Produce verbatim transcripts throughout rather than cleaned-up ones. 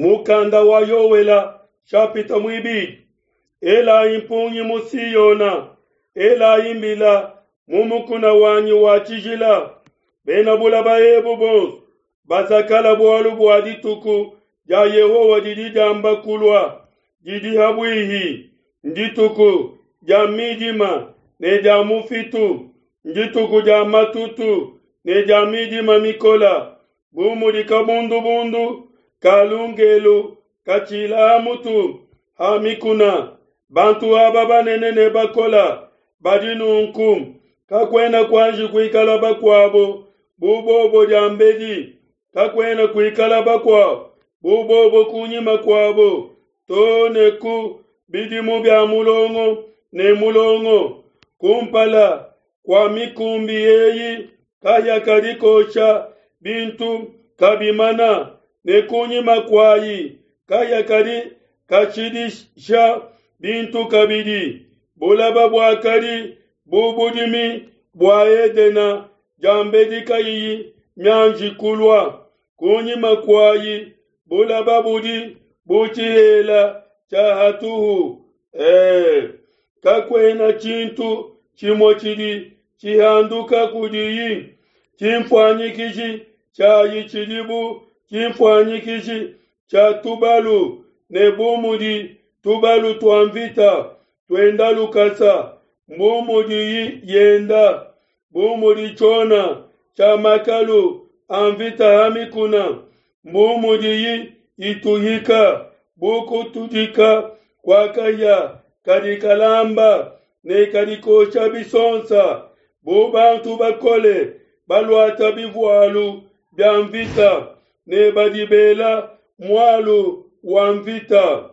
Mukanda wa Yoela shapita muibidi. Elayi mpungi mu Siona, elayi mbila mu mukuna wanyi wa tshijila. Bena bulaba ebu bonso bazakala bualu bua dituku dia Yehowa didi diamba kulua, didi habuihi. Ndituku dia midima ne dia mufitu, ndituku dia matutu ne dia midima mikola, bu mudi kabundubundu ka lungelu katshila ha mutu ha mikuna. Bantu aba banene ne bakola badi nunku, kakuena kuanji kuikala bakuabo bu bobo diambedi, kakuena kuikala bakuabo bu bobo kunyima kuabo, to ne ku bidimu bia mulongo ne mulongo. Kumpala kua mikumbi eyi kahia kadi kosha bintu kabimana, ne kunyima kuayi kahia kadi kashidisha bintu kabidi. Bulaba buakadi bu budimi bua Edena diambedi kayiyi mianji kulua. Kunyima kuayi bulaba budi bu tshihela tshia hatuhu. Eh, kakuena tshintu tshimue tshidi tshihanduka kudiyi. Tshinfuanyikiji tshiayi tshidi bu tshinfuanyikiji tshia tubalu, ne bu mudi tubalu tua mvita tuenda lukasa, mbu mudiyi yenda, bu mudi tshiona tshia makalu a mvita ha mikuna, mbu mudiyi ituhika bu kutudika kua kahia kadi kalamba ne kadi kosha bisonsa, bu bantu bakole baluata bivualu bia mvita ne badi bela mualu wa mvita.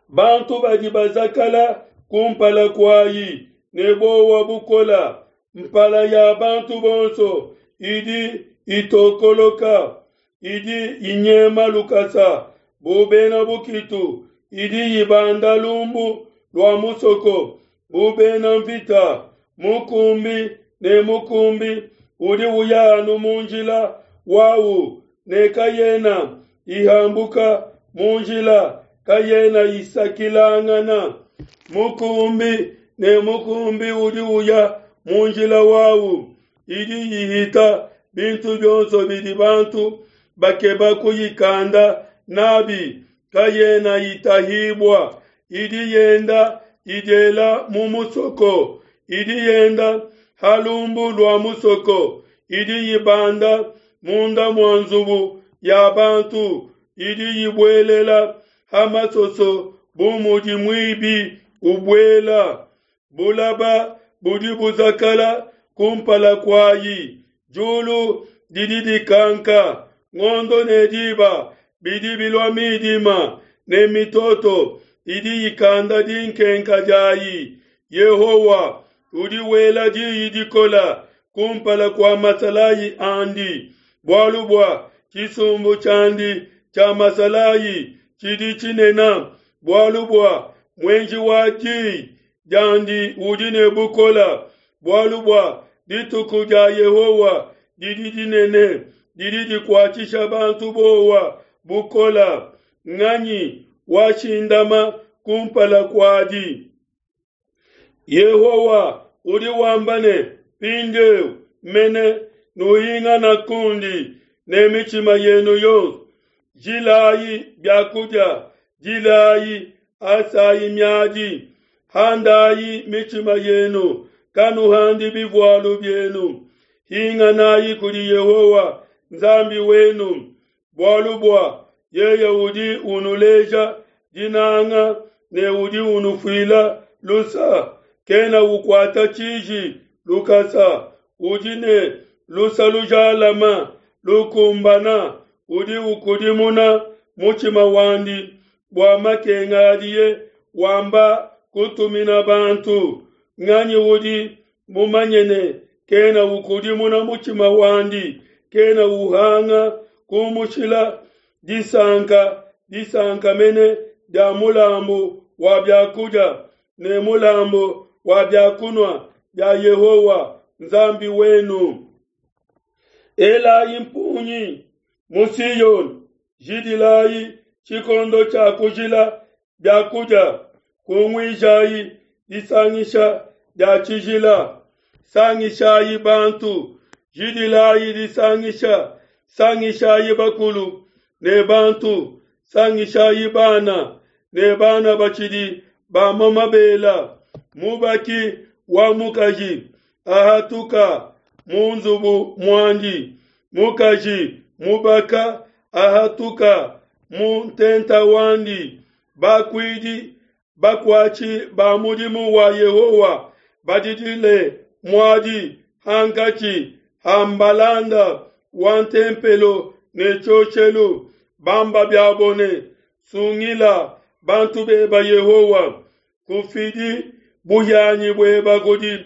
Bantu badi bazakala kumpala kuayi ne bowa bukola, mpala ya bantu bonso idi itokoloka, idi inyema lukasa bu bena bukitu, idi ibanda lumbu lua musoko bu bena mvita. Mukumbi ne mukumbi udi uya anu mu njila wawu, ne kayena ihambuka mu njila, kayena isakilangana. Mukumbi ne mukumbi udi uya mu njila wawu, idi ihita bintu bionso bidi bantu bakeba kuyikanda nabi, kayena itahibua. Idi yenda idiela mu musoko, idi yenda ha lumbu lua musoko, idi ibanda munda mua nzubu ya bantu, idi ibuelela ha masoso bu mudi muibi ubuela. Bulaba budi buzakala kumpala kuayi, diulu didi dikanka, ngondo ne diba bidi bilua midima, ne mitoto idi ikanda dinkenka diayi. Yehowa udi wela diyi dikola kumpala kua masalayi andi, bualu bua tshisumbu tshiandi tshia masalayi tshidi tshinene, bualu bua muenji wa diyi diandi udi ne bukola, bualu bua dituku dia Yehowa didi dinene, didi dikuatshisha bantu bowa bukola. Nganyi washindama kumpala kuadi? Yehowa udi wamba ne, mpindieu mene nuhingana kundi ne mitshima yenu yonso. Jilayi biakudia, jilayi, asayi miadi, handayi mitshima yenu, kanuhandi bivualu bienu. Hinganayi kudi Yehowa Nzambi wenu, bualu bua yeye udi unuleja dinanga ne udi unufuila lusa, kena ukuata tshiji lukasa, udi ne lusa lujalama lukumbana, udi ukudimuna mutshima wandi bua makenga adiye wamba kutumina bantu. Nganyi udi mumanye ne kena ukudimuna mutshima wandi, kena uhanga kumushila disanka, disanka mene dia mulambu wa biakudia ne mulambu wa biakunua bia Yehowa Nzambi wenu. Elayi mpungi mu Siona, Jidilayi tshikondo tshia kujila biakudia, kunguijayi disangisha dia tshijila. Sangishayi bantu, jidilayi disangisha, sangishayi bakulu ne bantu, sangishayi bana ne bana batshidi bamua mabela. Mubaki wa mukaji ahatuka mu nzubu muandi, mukaji mubaka ahatuka mu ntenta wandi. Bakuidi bakuatshi ba mudimu wa Yehowa badidile muadi hankatshi ha mbalanda wa ntempelo ne tshioshelu, bamba biabo ne, Sungila bantu beba Yehowa, kufidi buhianyi bueba kudi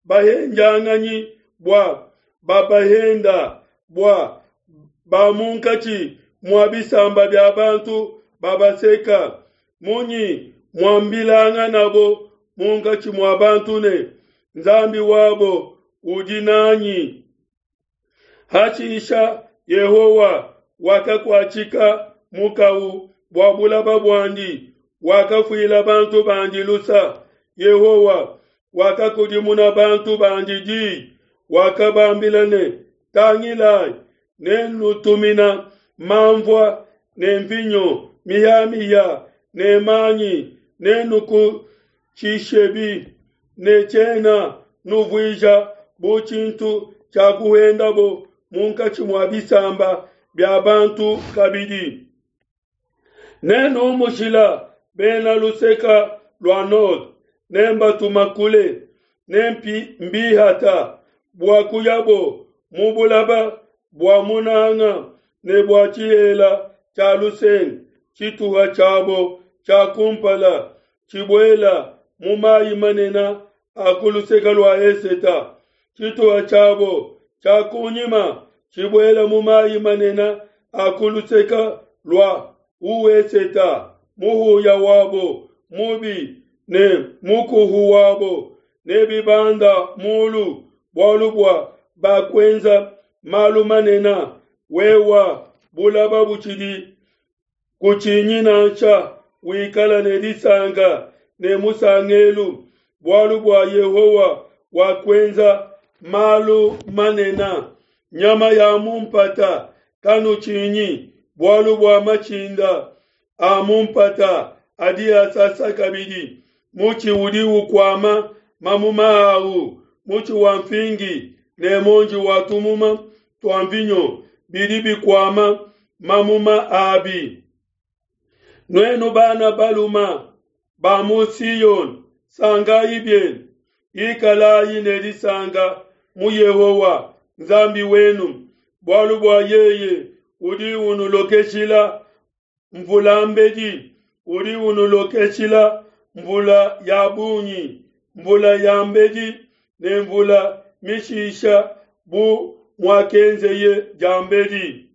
bahendianganyi bua babahenda, bua ba munkatshi mua bisamba bia bantu babaseka. Munyi muambilanganabo munkatshi mua bantu ne, Nzambi wabo udi nanyi? Hashisha Yehowa wakakuatshika mukau bua bulaba buandi, wakafuila bantu bandi lusa. Yehowa wakakudimuna bantu bandi di, wakabambila ne, Tangilai, nennutumina manvua ne nvinyo mihamihia ne manyi, nenukutshishebi, ne tshiena nuvuija bu tshintu tshia kuhendabo munkatshi mua bisamba bia bantu kabidi. Nenumushila bena luseka lua node, nembatuma kule, nembihata bua kuyabo mu bulaba bua munanga ne bua tshihela tshia lusenga, tshituha tshiabo tshia kumpala tshibuela mu mayi manene a ku luseke lua eseta, tshituha tshiabo tshia kunyima tshibuela mu mayi manene a ku luseke lua ueseta. Muhuya wabo mubi ne mukuhu wabo nebibanda mulu, bualu bua bakuenza malu manene. Wewa bulaba butshidi kutshinyi nansha, wikala ne disanka ne musangelu, bualu bua Yehowa wakuenza malu manene. Nyama ya mu mpata kanutshinyi, bualu bua matshinda a mu mpata adi asasa kabidi. Mutshi udi ukuama mamuma awu, mutshi wa mfingi ne muonji wa tumuma tua mvinyo bidi bikuama mamuma abi. Nuenu bana baluma ba mu Siyoni, sankayi bienu, ikalayi ne disanka mu Yehowa Nzambi wenu, bualu bua yeye udi unulokeshila mvula mbedi, udi unulokeshila mvula ya bungi, mvula ya mbedi ne mvula mishisha bu muakenzeye diambedi.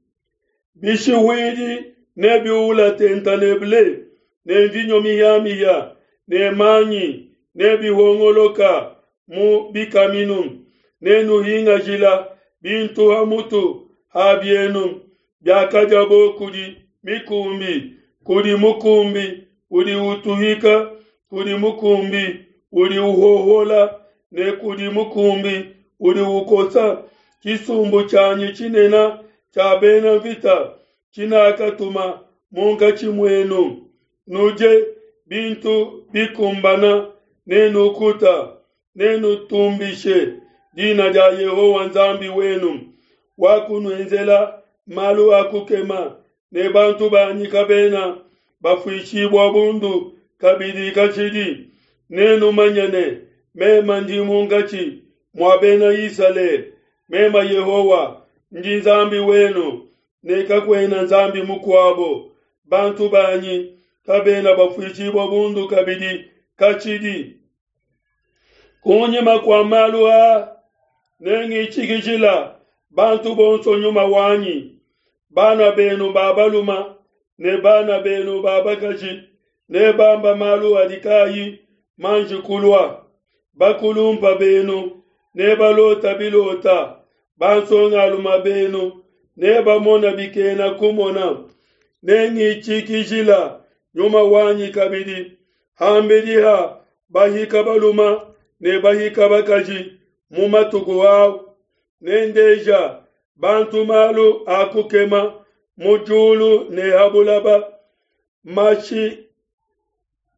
Bishiwidi nebiula tenta ne ble, ne mvinyo mihamihia ne manyi nebihongoloka mu bikaminu. Nenuhingajila bintu ha mutu ha bienu biakadiabo kudi mikumbi, kudi mukumbi udi utuhika, kudi mukumbi udi uhohola ne kudi mukumbi udi ukosa. Tshisumbu tshianyi tshinene tshia bena mvita tshinakatuma munkatshi muenu, nudie bintu bikumbana nenukuta, nenutumbishe dina dia Yehowa Nzambi wenu, wakunuenzela malu a kukema, ne bantu banyi kabena bafuishibua bundu kabidi kashidi. Nenumanye ne, meme ndi munkatshi mua bena Isalele, meme Yehowa ndi Nzambi wenu, ne kakuena nzambi mukuabo. Bantu banyi kabena bafuishibua bundu kabidi kashidi. Kunyima kua malu aa nengitshikijila bantu bonso nyuma wanyi, bana benu ba baluma ne bana benu ba bakaji nebamba malu adi kayi manji kulua. Bakulumpa benu nebalota bilota, bansongaluma benu nebamona bikena kumona. Nengitshikijila nyuma wanyi kabidi ham'bidi ha bahika balume ne bahika bakaji mu matuku au. Nendeja bantu malu a kukema mu diulu ne ha bulaba, mashi,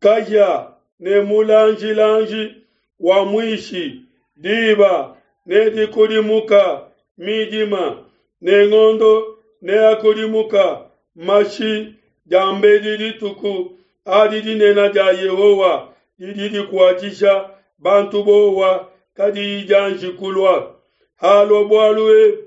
kahia ne mulanjilanji wa muishi, diba nedikudimuka midima, ne ngondo neakudimuka mashi, diambedi dituku adi dinene dia Yehowa didi dikuatshisha bantu buowa kadiyi dianji kulua. Halua bualu ebu,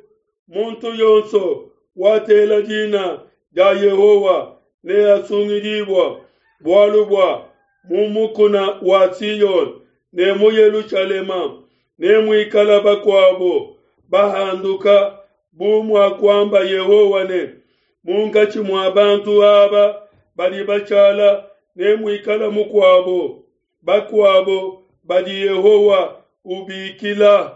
muntu yonso watela dina dia Yehowa neasungidibua, bualu bua mu mukuna wa Siona ne mu Yelushalema nemuikala bakuabo bahanduka, bu muakuamba Yehowa ne, munkatshi mua bantu aba badi bashala nemuikala mukuabo, bakuabo badi Yehowa ubikila.